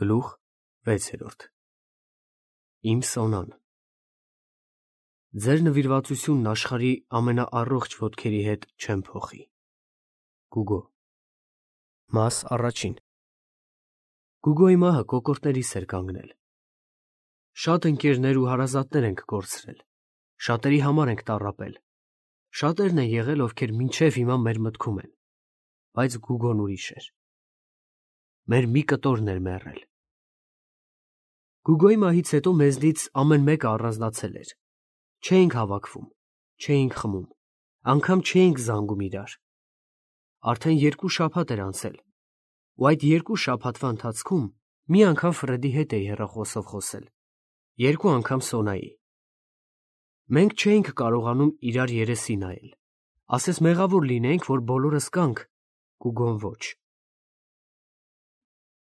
Գլուխ 6 Իմ Սոնան Ձեր նվիրվածությունն աշխարհի ամենաառողջ ոտքերի հետ չեմ փոխի։ Գուգո Մաս առաջին Գուգոյի մահը կոկորդներիս էր կանգնել։ Շատ ընկերներ ու հարազատներ ենք կորցրել, շատերի համար ենք տառապել, շատերն են եղել, ովքեր մինչև հիմա մեր մտքում են, բայց Գուգոն ուրիշ էր։ Մեր մի կտորն էր մեռել։ Գուգոյի մահից հետո մեզնից ամեն մեկը առանձնացել էր։ Չէինք հավաքվում, չէինք խմում, անգամ չէինք զանգում իրար։ Արդեն 2 շաբաթ էր անցել, ու այդ 2 շաբաթվա ընթացքում մի անգամ Ֆրեդի հետ էի հեռախոսով խոսել, 2 անգամ Սոնայի։ Մենք չէինք կարողանում իրար երեսի նայել, ասես մեղավոր լինեինք, որ բոլորս կանք, Գուգոն ոչ։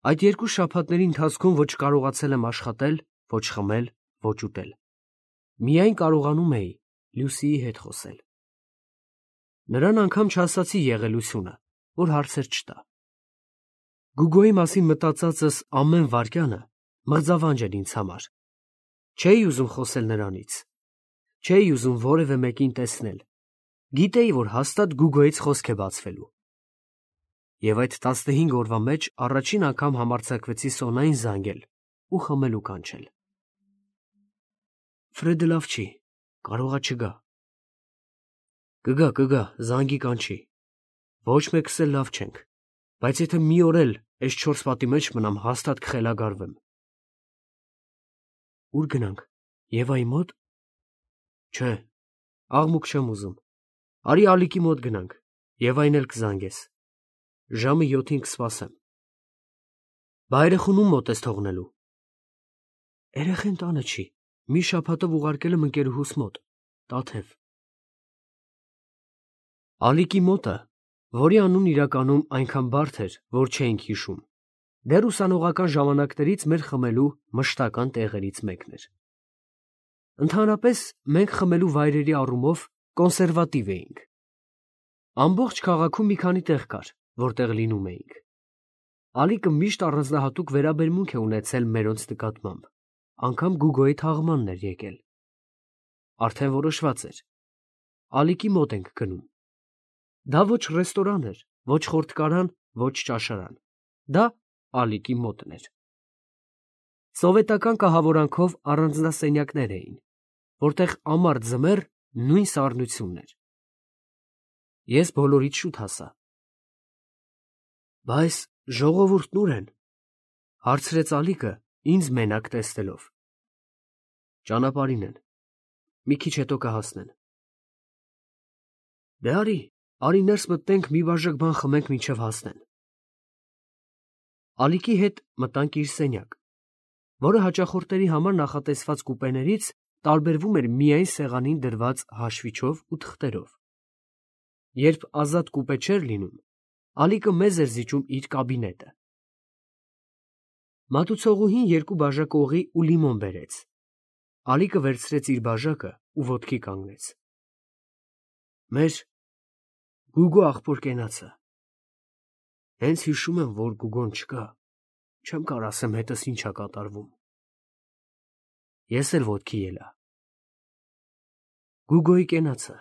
Այդ 2 շաբաթների ընթացքում ոչ կարողացել եմ աշխատել, ոչ խմել, ոչ ուտել։ Միայն կարողանում էի Լյուսիի հետ խոսել։ Նրան անգամ չասացի եղելությունը, որ հարցեր չտա։ Գուգոյի մասին մտածածս ամեն վայրկյանը մղձավանջ էր ինձ համար։ Չէի ուզում խոսել նրանից։ Չէի ուզում որևէ մեկին տեսնել։ Գիտեի, որ հաստատ Գուգոյից խոսք է բացվելու։ Եվ այդ 15 օրվա մեջ առաջին անգամ համարձակվեցի Սոնային զանգել ու խմելու կանչել։ Ֆրեդը լավ չի, կարողա չգա։ Կգա, զանգի կանչի։ Ոչ մեկս էլ լավ չենք, բայց եթե մի օր էլ այս 4 պատի մեջ մնամ, հաստատ կխելագարվեմ։ Ուր գնանք, Եվայի մոտ։ Չէ, աղմուկ չեմ ուզում։ Արի Ալիկի մոտ գնանք, Եվային էլ կզանգես։ Ժամը 7-ին կսպասեմ։ Բա երեխուն ում մոտ ես թողնելու։ Երեխեն տանը չի, մի շաբաթով ուղարկել եմ ընկերուհուս մոտ, Տաթև։ Ալիկի մոտը, որի անունն իրականում այնքան բարդ էր, որ չէինք հիշում, դեռ ուսանողական ժամանակներից մեր խմելու մշտական տեղերից մեկն էր։ Ընդհանրապես մենք խմելու վայրերի առումով կոնսերվատիվ էինք։ Ամբողջ քաղաքում մի քանի տեղ կար, որտեղ լինում էինք։ Ալիկը միշտ առանձնահատուկ վերաբերմունք է ունեցել մերոնց նկատմամբ, անգամ Գուգոյի թաղմանն էր եկել։ Արդեն որոշված էր։ Ալիկի մոտ ենք գնում։ Դա ոչ ռեստորան էր, ոչ խորտկարան, ոչ ճաշարան։ Դա Ալիկի մոտն էր։ Սովետական կահավորանքով առանձնասենյակներ էին, որտեղ ամառ ձմեռ նույն սառնությունն էր։ Ես բոլորից շուտ հասա։ Բայց ժողովուրդն ուր են, հարցրեց Ալիկը ինձ մենակ տեսնելով։ Ճանապարհին են, մի քիչ հետո կհասնեն։ Դե արի ներս մտնենք, մի բաժակ բան խմենք մինչև հասնեն։ Ալիկի հետ մտանք իր սենյակ, որը հաճախորդների համար նախատեսված կուպեներից տարբերվում էր միայն սեղանին դրված հաշվիչով ու թղթերով։ Երբ ազատ կուպե չէր լինում, Ալիկը մեզ էր զիջում իր կաբինետը։ Մատուցողուհին 2 բաժակ օղի ու լիմոն բերեց։ Ալիկը վերցրեց իր բաժակը ու ոտքի կանգնեց։ Մեր Գուգո աղբոր կենացը։ Հենց հիշում եմ, որ Գուգոն չկա, չեմ կարող ասեմ հետս ինչ ա կատարվում։ Ես էլ ոտքի ելա։ Գուգոյի կենացը։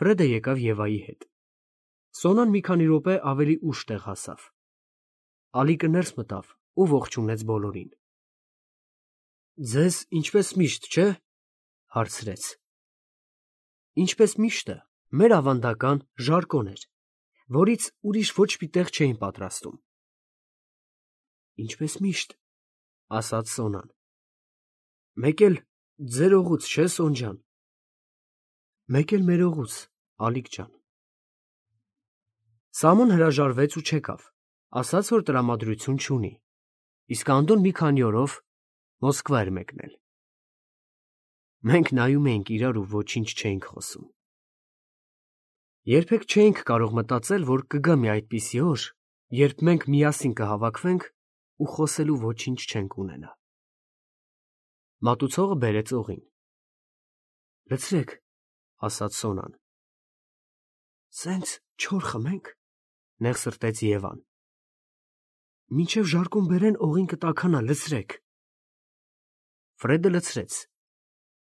Ֆրեդը եկավ Եվայի հետ։ Սոնան մի քանի րոպե ավելի ուշ տեղ հասավ։ Ալիկը ներս մտավ ու ողջունեց բոլորին։ Ձեզ ինչպես միշտ, չէ՞, հարցրեց։ Ինչպես միշտը, մեր ավանդական ժարկոն էր, որից ուրիշ ոչ մի տեղ չէին պատրաստում։ Ինչպես միշտ, ասաց Սոնան։ Մեկ էլ ձեր օղուց, չէ՞, Սոն ջան։ Մեկ էլ մեր օղուց, Ալիկ ջան։ Սամոն հրաժարվեց ու չեկավ, ասաց, որ տրամադրություն չունի, իսկ Անդոն մի քանի օրով Մոսկվա էր մեկնել։ Մենք նայում էինք իրար ու ոչինչ չէինք խոսում։ Երբեք չէինք կարող մտածել, որ կգա մի այդպիսի օր, երբ մենք միասին կհավաքվենք ու խոսելու ոչինչ չենք ունենա։ Մատուցողը բերեց օղին։ Լցրեք, ասաց Սոնան։ Սենց չոր խմենք, նեղ սրտեց Եվան։ Մինչև ժարկուն բերեն օղին կտաքանա, լցրեք։ Ֆրեդը լցրեց։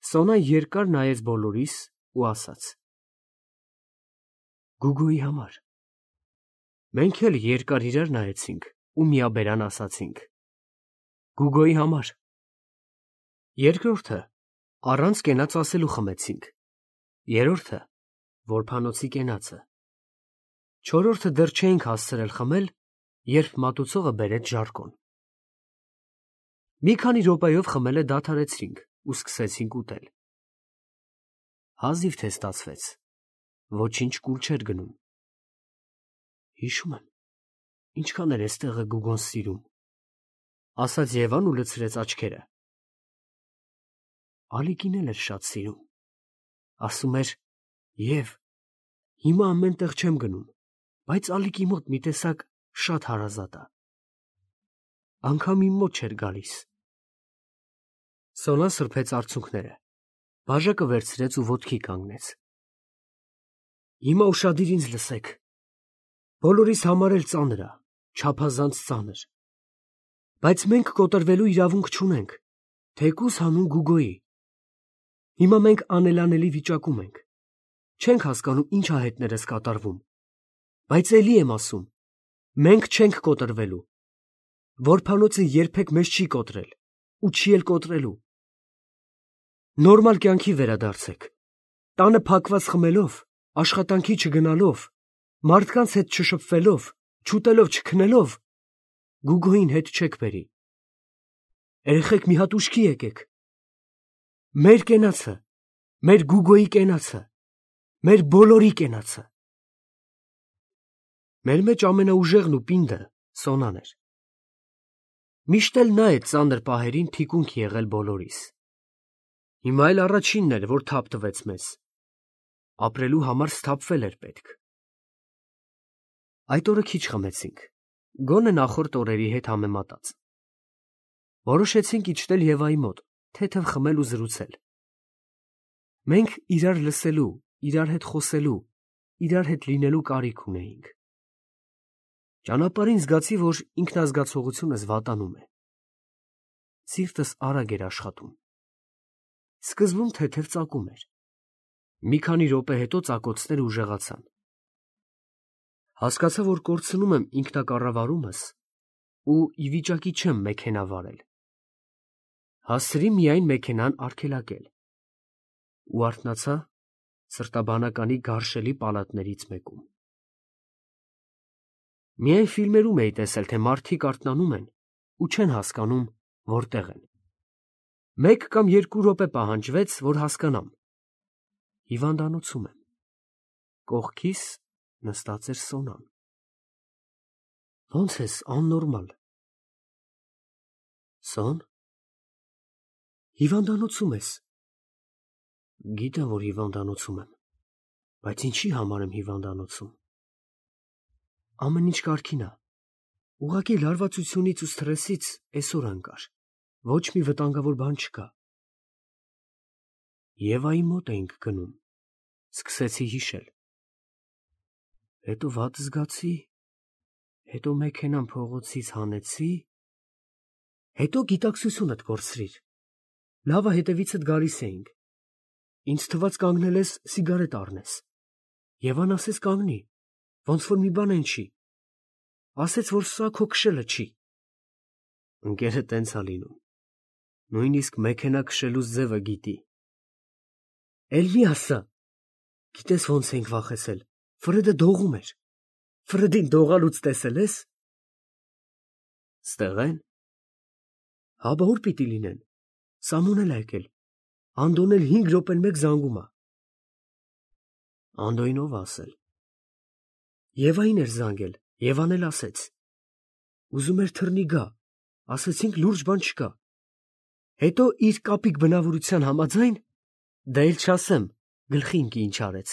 Սոնան երկար նայեց բոլորիս ու ասաց. Գուգոյի համար։ Մենք էլ երկար իրար նայեցինք ու միաբերան ասացինք. Գուգոյի համար։ Երկրորդը առանց կենաց ասելու խմեցինք։ Երրորդը որբանոցի կենացը։ Չորրորդը դեռ չէինք հասցրել խմել, երբ մատուցողը բերեց ժարկոն։ Մի քանի րոպեով խմելը դադարեցրինք ու սկսեցինք ուտել։ Հազիվ թե ստացվեց, ոչինչ կուլ չէր գնում։ Հիշում եմ, ինչքան էր էստեղը Գուգոն սիրում, ասաց Եվան ու լցրեց աչքերը։ Ալիկին էլ էր շատ սիրում, ասում էր. Եվ հիմա ամեն տեղ չեմ գնում, բայց Ալիկի մոտ մի տեսակ շատ հարազատ է։ Անգամ իմ մոտ չէր գալիս։ Սոնան սրբեց արցունքները, բաժակը վերցրեց ու ոտքի կանգնեց։ Հիմա ուշադիր ինձ լսեք։ Բոլորիս համար էլ ծանր է, չափազանց ծանր։ Բայց մենք կոտրվելու իրավունք չունենք, թեկուզ հանուն Գուգոյի։ Հիմա մենք անելանելի վիճակում ենք։ Չենք հասկանում ինչ ահետներ ես կատարվում։ Բայց էլի եմ ասում, մենք չենք կոտրվելու։ Որբանոցը երբեք մեզ չի կոտրել ու չի էլ կոտրելու։ Նորմալ կյանքի վերադարձեք։ Տանը փակված խմելով, աշխատանքի չգնալով, մարդկանց հետ չշփվելով, չուտելով, չքնելով, Գուգոյին հետ չեք բերի։ Երեխեք մի հատ ուշքի եկեք։ Մեր կենացը, մեր Գուգոյի կենացը, մեր բոլորի կենացը։ Մեր մեջ ամենաուժեղն ու պինդը Սոնան էր։ Միշտ էլ նա է ծանր պահերին թիկունք եղել բոլորիս։ Հիմա էլ առաջինն էր, որ թափ տվեց մեզ։ Ապրելու համար սթափվել էր պետք։ Այդ օրը քիչ խմեցինք, գոնե նախորդ օրերի հետ համեմատած։ Որոշեցինք իջնել Եվայի մոտ, թեթև խմել ու զրուցել։ Մենք իրար լսելու, իրար հետ խոսելու, իրար հետ լինելու կարիք ունեինք։ Ճանապարհին զգացի, որ ինքնազգացողությունս վատանում է։ Սիրտս արագ էր աշխատում։ Սկզբում թեթև ծակում էր։ Մի քանի րոպե հետո ծակոցները ուժեղացան։ Հասկացա, որ կորցնում եմ ինքնակառավարումս ու ի վիճակի չեմ մեքենա վարել։ Հասցրի միայն մեքենան արգելակել ու արթնացա սրտաբանականի գարշելի պալատներից մեկում։ Միայն ֆիլմերում էի տեսել, թե մարդիկ արթնանում են ու չեն հասկանում, որտեղ են։ 1 կամ 2 րոպե պահանջվեց, որ հասկանամ։ Հիվանդանոցում եմ։ Կողքիս նստած էր Սոնան։ Ո՞նց ես, աննորմալ։ Սոն։ Հիվանդանոցում ես։ Գիտեմ, որ հիվանդանոցում եմ, բայց ինչի համար եմ հիվանդանոցում։ Ամեն ինչ կարգին է։ Ուղղակի լարվածությունից ու սթրեսից այսօր անկար։ Ոչ մի վտանգավոր բան չկա։ Եվայի մոտ էինք գնում։ Սկսեցի հիշել։ Հետո վատ զգացի, հետո մեքենան փողոցից հանեցի, հետո գիտակցությունդ կորցրիր։ Լավ է, հետևիցդ գալիս էինք։ Ինձ թվաց կանգնել ես սիգարետ առնես։ Եվան ասեց կանգնի, ոնց որ մի բան են չի։ Ասեց, որ սա քո քշելը չի։ Ընկերը տենց ա լինում։ Նույնիսկ մեքենա քշելուց ձևը գիտի։ Էլ մի ասա։ Գիտես ոնց ենք վախեցել։ Ֆրեդը դողում էր։ Ֆրեդին դողալուց տեսել ես։ Ստեղ են։ Հա, բա ուր պիտի լինեն։ Սամոն էլ ա եկել։ Անդոն էլ 5 րոպեն մեկ զանգում ա։ Անդոյին ով ասել։ Եվային էր զանգել, Եվան էլ ասեց։ Ուզում էր թռնի գա, ասեցինք լուրջ բան չկա։ Հետո իր կապիկ բնավորության համաձայն, դա էլ չասեմ, գլխի ինքի ինչ արեց։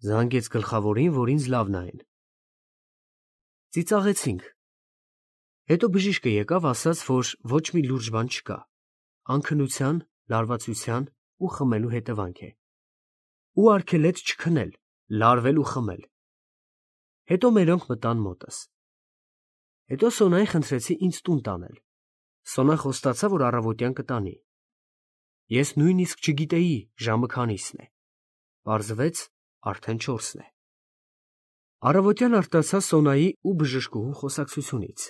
Զանգեց գլխավորին, որ ինձ լավ նայեն։ Ծիծաղեցինք։ Հետո բժիշկը եկավ, ասաց, որ ոչ մի լուրջ բան չկա։ Անքնության, լարվածության ու խմելու հետևանք է։ Ու արգելեց չքնել, լարվել ու խմել։ Հետո մերոնք մտան մոտս։ Հետո Սոնային խնդրեցի ինձ տուն տանել։ Սոնան խոստացավ, որ առավոտյան կտանի։ Ես նույնիսկ չգիտեի ժամը քանիսն է։ Պարզվեց արդեն 4-ն է։ Առավոտյան արտասա Սոնայի ու բժշկուհու խոսակցությունից։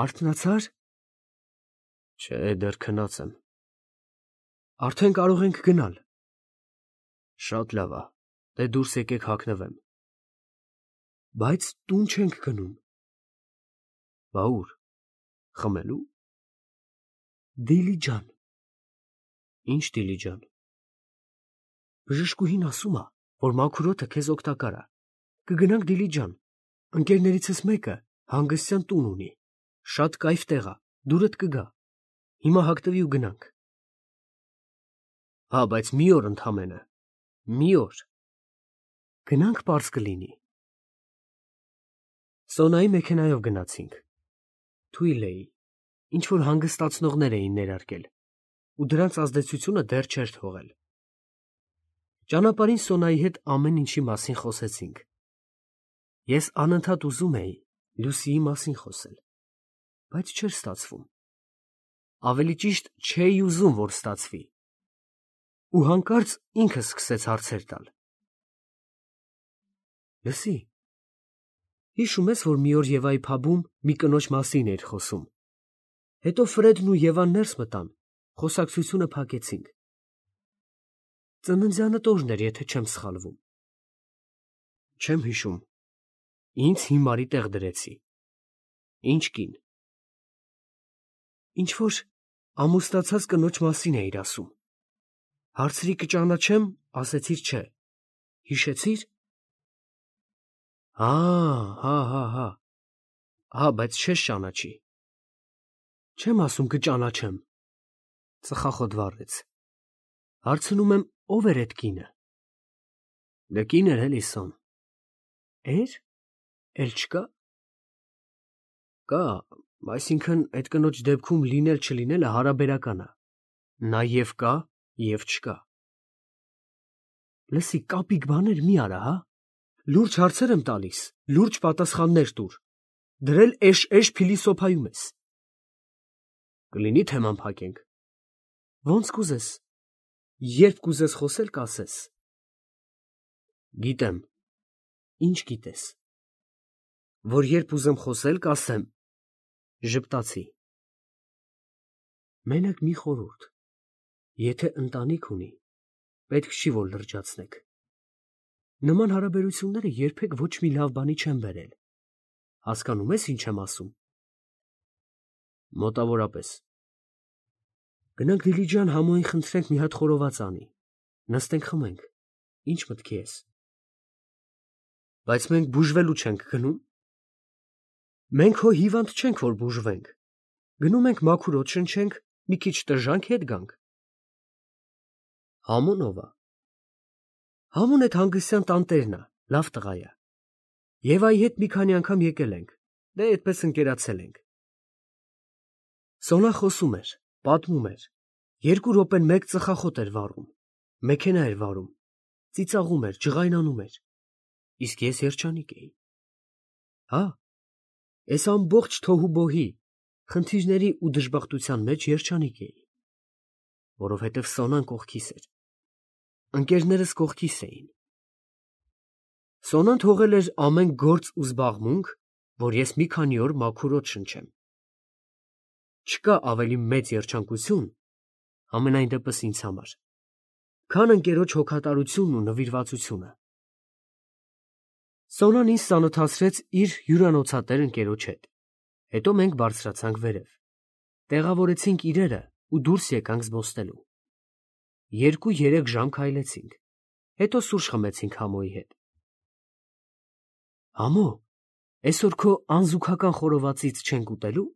Արթնացա՞ր։ Չէ, դեռ քնած եմ։ Արդեն կարող ենք գնալ։ Շատ լավ է, դե դուրս եկեք հագնվեմ։ Բայց տուն չենք գնում։ Բա ուր։ Խմելու։ Դիլիջան։ Ինչ Դիլիջան։ Բժշկուհին ասում է, որ մաքուր օդը քեզ օգտակար է։ Կգնանք Դիլիջան։ Ընկերներիցս մեկը հանգստյան տուն ունի։ Շատ կայֆ տեղ է, դուրդ կգա։ Հիմա հագնվի ու գնանք։ Հա, բայց մի օր ընդամենը։ Մի օր։ Գնանք պարզ կլինի։ Սոնայի մեքենայով գնացինք։ Թույլ էի, ինչ որ հանգստացնողներ էին ներարկել, ու դրանց ազդեցությունը դեռ չէր թողել։ Ճանապարհին Սոնայի հետ ամեն ինչի մասին խոսեցինք։ Ես անընդհատ ուզում էի Լուսիի մասին խոսել, բայց չէր ստացվում։ Ավելի ճիշտ չէի ուզում, որ ստացվի։ Ու հանկարծ ինքս սկսեց հարցեր տալ։ Լսի, հիշում ես, որ մի օր Եվայի փաբում մի կնոջ մասին էր խոսում։ Հետո Ֆրեդն ու Եվան ներս մտան, խոսակցությունը փակեցինք։ Ծննդյանդ օրն էր, եթե չեմ սխալվում։ Չեմ հիշում։ Ինձ հիմարի տեղ դրեցի։ Ինչ կին։ Ինչ որ ամուսնացած կնոջ մասին էիր ասում։ Հարցրի կճանաչեմ, ասեցիր չէ։ Հիշեցիր։ Հա, բայց չես ճանաչի։ Չեմ ասում կճանաչեմ։ Ծխախոտ վառեց։ Հարցնում եմ, ով էր այդ կինը։ Դե կին էր էլի Սոն։ Էր։ Էլ չկա։ Կա, այսինքն այդ կնոջ դեպքում լինել չլինելը հարաբերական է։ Նա և կա, և չկա։ Լսի, կապիկ բաներ մի արա, հա։ Լուրջ հարցեր եմ տալիս, լուրջ պատասխաններ տուր։ Դրել էշ փիլիսոփայում ես։ Կլինի թեման փակենք։ Ոնց կուզես։ Երբ կուզես խոսել, կասես։ Գիտեմ։ Ինչ գիտես։ Որ երբ ուզեմ խոսել, կասեմ։ Ժպտացի։ Մենակ մի խորհուրդ։ Եթե ընտանիք ունի, պետք չի, որ լրջացնեք։ Նման հարաբերությունները երբեք ոչ մի լավ բանի չեն բերել։ Հասկանում ես, ինչ եմ ասում։ Մոտավորապես։ Գնանք Դիլիջան համոյին խնդրենք մի հատ խորոված անի։ Նստենք խմենք։ Ինչ մտքի ես։ Բայց մենք բուժվելու չենք գնում։ Մենք հո հիվանդ չենք, որ բուժվենք։ Գնում ենք մաքուր օդ շնչենք, մի քիչ տժանք հետ գանք։ Համոն ով է։ Համոն այդ հանգստյան տանտերն է, լավ տղա է։ Եվայի հետ մի քանի անգամ եկել ենք, դե այդպես ընկերացել ենք։ Սոնան խոսում էր, պատմում էր։ 2 րոպեն մեկ ծխախոտ էր վառում, մեքենա էր վարում, ծիծաղում էր, ջղայնանում էր։ Իսկ ես երջանիկ էի։ Հա, ես ամբողջ թոհուբոհի, խնդիրների ու դժբախտության մեջ երջանիկ էի, որովհետև Սոնան կողքիս էր։ Ընկերներս կողքիս էին։ Սոնան թողել էր ամեն գործ ու զբաղմունք, որ ես մի քանի օր մաքուր օդ շնչեմ։ Չկա ավելի մեծ երջանկություն, ամենայն դեպս ինձ համար, քան ընկերոջ հոգատարությունն ու նվիրվածությունը։ Սոնան ինձ ծանոթացրեց իր հյուրանոցատեր ընկերոջ հետ։ Հետո մենք բարձրացանք վերև։ Տեղավորեցինք իրերը ու դուրս եկանք զբոսնելու։ 2-3 ժամ քայլեցինք։ Հետո սուրճ խմեցինք Համոյի հետ։ Համո, այսօր քո անզուգական խորովածից չենք ուտելու։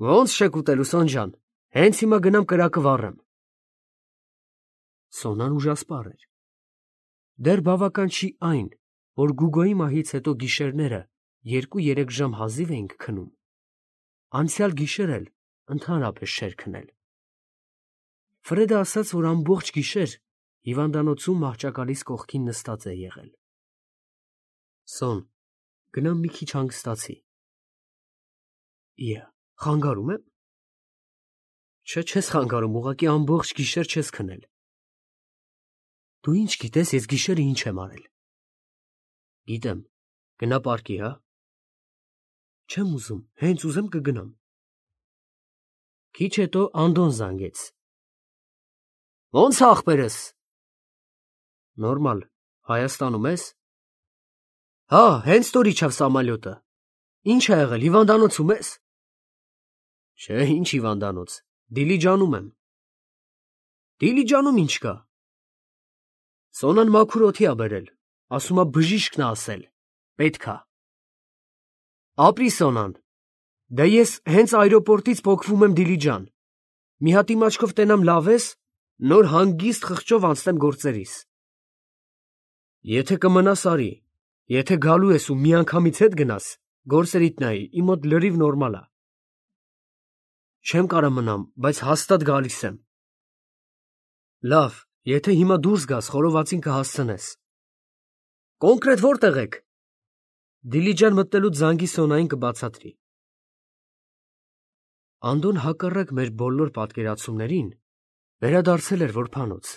Ոնց չեք ուտելու, Սոն ջան, հենց հիմա գնամ կրակը վառեմ։ Սոնան ուժասպառ էր։ Դեռ բավական չի այն, որ Գուգոյի մահից հետո գիշերները 2-3 ժամ հազիվ էինք քնում։ Անցյալ գիշեր էլ ընդհանրապես չէր քնել։ Ֆրեդը ասաց, որ ամբողջ գիշեր հիվանդանոցում մահճակալիս կողքին նստած է եղել։ Սոն, գնամ մի քիչ հանգստացի։ Խանգարում եմ։ Չէ, չես խանգարում, ուղղակի ամբողջ գիշեր չես քնել։ Դու ինչ գիտես, ես գիշերը ինչ եմ արել։ Գիտեմ, գնա պարկի, հա։ Չեմ ուզում, հենց ուզեմ կգնամ։ Քիչ հետո Անդոն զանգեց։ Ո՞նց է ախպերս։ Նորմալ, Հայաստանում ես։ Հա, հենց տոր իջավ սամալյոտը։ Ինչ ա եղել, հիվանդանոցում ես։ Չէ, ինչ հիվանդանոց, Դիլիջանում եմ։ Դիլիջանում ինչ կա։ Սոնան մաքուր օդի ա բերել, ասում ա բժիշկն ա ասել, պետք ա։ Ապրի Սոնան, դե ես հենց այրոպորտից փոքվում եմ Դիլիջան, մի հատ իմ աչքով տենամ լավ ես, նոր հանգիստ խղճով անցնեմ գործերիս։ Եթե կմնաս արի, եթե գալու ես ու միանգամից հետ գնաս, գործերիդ նայի, իմ մոտ լրիվ նորմալ ա։ Չեմ կարա մնամ, բայց հաստատ գալիս եմ։ Լավ, եթե հիմա դուրս գաս, խորովածին կհասցնես։ Կոնկրետ որտեղ եք։ Դիլիջան մտնելուց զանգի Սոնային կբացատրի։ Անդոն հակառակ մեր բոլոր պատկերացումներին վերադարձել էր որբանոց։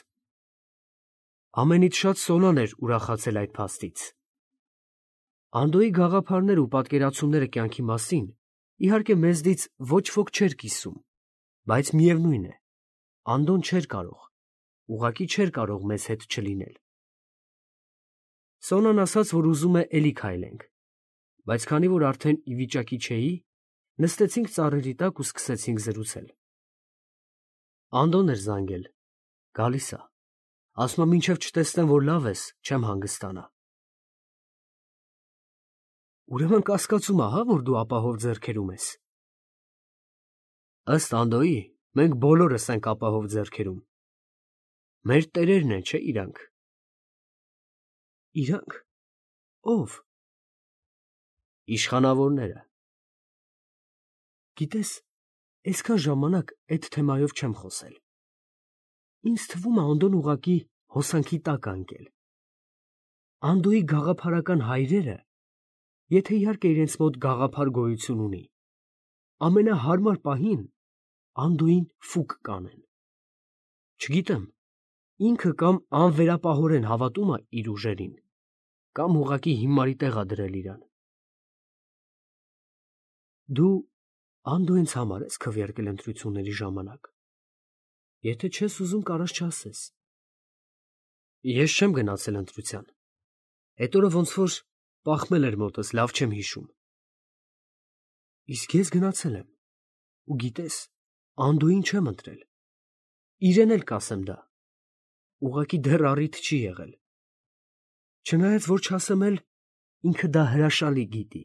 Ամենից շատ Սոնան էր ուրախացել այդ փաստից։ Անդոյի գաղափարները ու պատկերացումները կյանքի մասին իհարկե մեզնից ոչ ոք չէր կիսում, բայց միևնույն է, Անդոն չէր կարող, ուղղակի չէր կարող մեզ հետ չլինել։ Սոնան ասաց, որ ուզում է էլի քայլենք, բայց քանի որ արդեն ի վիճակի չէի, նստեցինք ծառերի տակ ու սկսեցինք զրուցել։ Անդոն էր զանգել, գալիս ա, ասում ա մինչև չտեսնեմ, որ լավ ես, չեմ հանգստանա։ Ուրեմն կասկածում ա, հա, որ դու ապահով ձեռքերում ես։ Ըստ Անդոյի, մենք բոլորս ենք ապահով ձեռքերում։ Մեր տերերն են, չէ՞ իրանք։ Իրանք։ Ո՞վ։ Իշխանավորները։ Գիտես, այսքան ժամանակ այդ թեմայով չեմ խոսել։ Ինձ թվում է Անդոն ուղղակի հոսանքի տակ ա ընկել։ Անդոյի գաղափարական հայրերը, եթե իհարկե իրենց մոտ գաղափար գոյություն ունի, ամենահարմար պահին Անդոյին ֆուկ կանեն։ Չգիտեմ, ինքը կամ անվերապահորեն հավատում է իր ուժերին, կամ ուղղակի հիմարի տեղ ա դրել իրան։ Դու Անդոյից համար ես քվեարկել ընտրությունների ժամանակ։ Եթե չես ուզում, կարաս չասես։ Ես չեմ գնացել ընտրության։ Այդ օրը ոնց որ պախմել էր մոտս, լավ չեմ հիշում։ Իսկ ես գնացել եմ։ Ու գիտես, Անդոյին չեմ ընտրել։ Իրեն էլ կասեմ դա։ Ուղղակի դեռ առիթ չի եղել։ Չնայած որ չասեմ էլ, ինքը դա հրաշալի գիտի։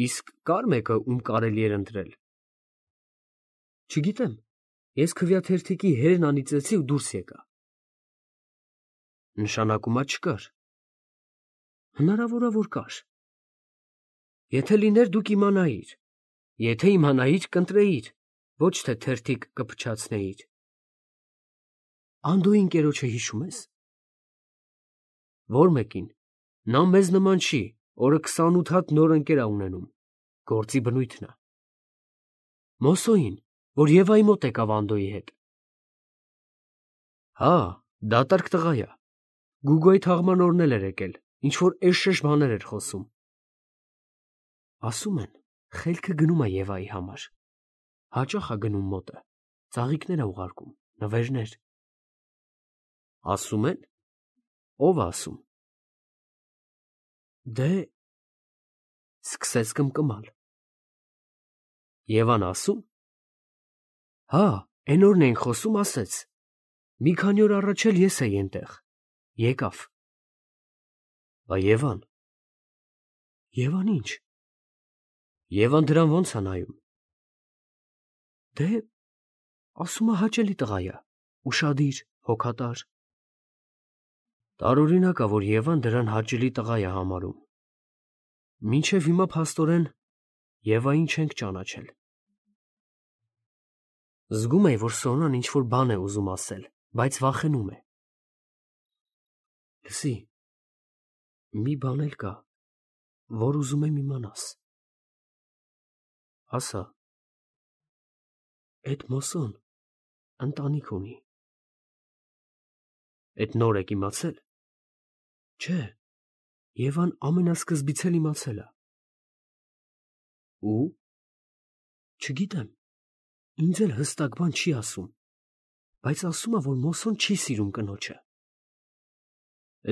Իսկ կար մեկը, ում կարելի էր ընտրել։ Չգիտեմ, ես քվեաթերթիկի հերն անիծեցի ու դուրս եկա։ Նշանակում է չկար։ Հնարավոր է որ կար։ Եթե լիներ դուք իմանայիր, եթե իմանայիր կընտրեիր, ոչ թե թերթիկ կփչացնեիր։ Անդոյի ընկերոջը հիշում ես։ Որ մեկին, նա մեզ նման չի, օրը 28 հատ նոր ընկեր ա ունենում, գործի բնույթն է։ Մոսոին, որ Եվայի մոտ եկավ Անդոյի հետ։ Հա, դատարկ տղա ա։ Գուգոյի թաղման օրն էլ էր եկել, ինչ որ էշ բաներ էր խոսում։ Ասում են, խելքը գնում է Եվայի համար։ Հաճախ ա գնում մոտը, ծաղիկներ ա ուղարկում, նվերներ։ Ասում են։ Ո՞վ ա ասում։ Դե սկսեց կմկմալ։ Եվան ասում։ Հա, այն օրն էինք խոսում, ասեց։ Մի քանի օր առաջ էլ ես էի այնտեղ։ Եկավ։ Բա Եվան։ Եվան ինչ։ Եվան դրան ոնց ա նայում։ Դե ասում ա հաճելի տղա ա, ուշադիր, հոգատար։ Տարօրինակ ա, որ Եվան դրան հաճելի տղա ա համարում։ Մինչև հիմա փաստորեն Եվային չենք ճանաչել։ Զգում էի, որ Սոնան ինչ որ բան է ուզում ասել, բայց վախենում է։ Լսի, Մի բան էլ կա, որ ուզում եմ իմանաս։ Ասա, այդ Մոսոն ընտանիք ունի։ Էդ նոր եք իմացել։ Չէ, Եվան ամենասկզբից էլ իմացել է։ Ու։ Չգիտեմ, ինձ էլ հստակ բան չի ասում, բայց ասում է, որ Մոսոն չի սիրում կնոջը։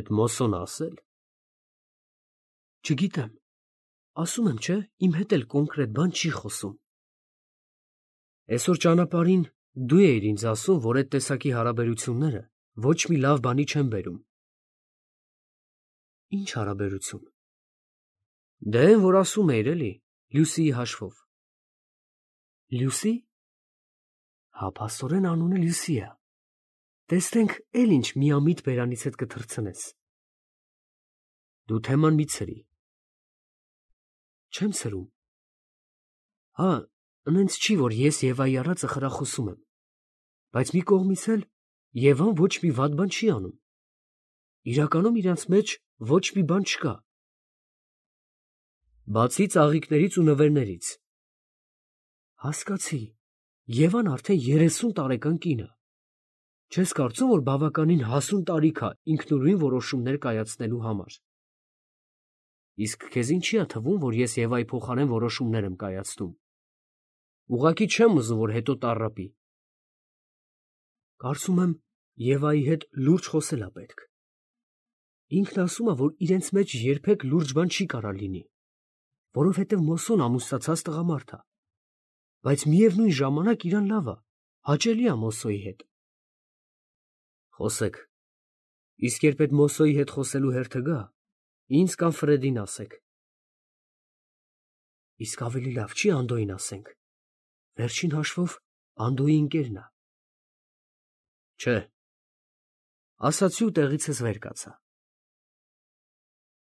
Էդ Մոսոն ասել։ Չգիտեմ, ասում եմ, չէ, իմ հետ էլ կոնկրետ բան չի խոսում։ Այսօր ճանապարհին դու էիր ինձ ասում, որ այդ տեսակի հարաբերությունները ոչ մի լավ բանի չեն բերում։ Ինչ հարաբերություն։ Դե այն, որ ասում էիր էլի, Լյուսիի հաշվով։ Լյուսի։ Հա, փաստորեն անունը Լյուսի է։ Տեսնենք էլ ինչ միամիտ բերանից հետ կթռցնես։ Դու թեման մի ցրի։ Չեմ ցրում։ Հա, նենց չի, որ ես Եվայի առածը խրախուսում եմ, բայց մի կողմից էլ Եվան ոչ մի վատ բան չի անում։ Իրականում իրանց մեջ ոչ մի բան չկա։ Բացի ծաղիկներից ու նվերներից։ Հասկացի, Եվան արդեն 30 տարեկան կին է։ Չես կարծում, որ բավականին հասուն տարիք է ինքնուրույն որոշումներ կայացնելու համար։ Իսկ քեզ ինչի է թվում, որ ես Եվայի փոխարեն որոշումներ եմ կայացնում։ Ուղղակի չեմ ուզում, որ հետո տառապի։ Կարծում եմ, Եվայի հետ լուրջ խոսել է պետք։ Ինքն ասում է, որ իրենց մեջ երբեք լուրջ բան չի կարա լինի, որովհետև Մոսոն ամուսնացած տղամարդ է։ Բայց միևնույն ժամանակ իրան լավ է, հաճելի է Մոսոյի հետ։ Խոսեք։ Իսկ երբ այդ Մոսոյի հետ խոսելու հերթը գա, ինձ կամ Ֆրեդին ասեք։ Իսկ ավելի լավ չի Անդոյին ասենք։ Վերջին հաշվով Անդոյի ընկերն է։ Չէ։ Ասացի ու տեղիցս վեր կացա։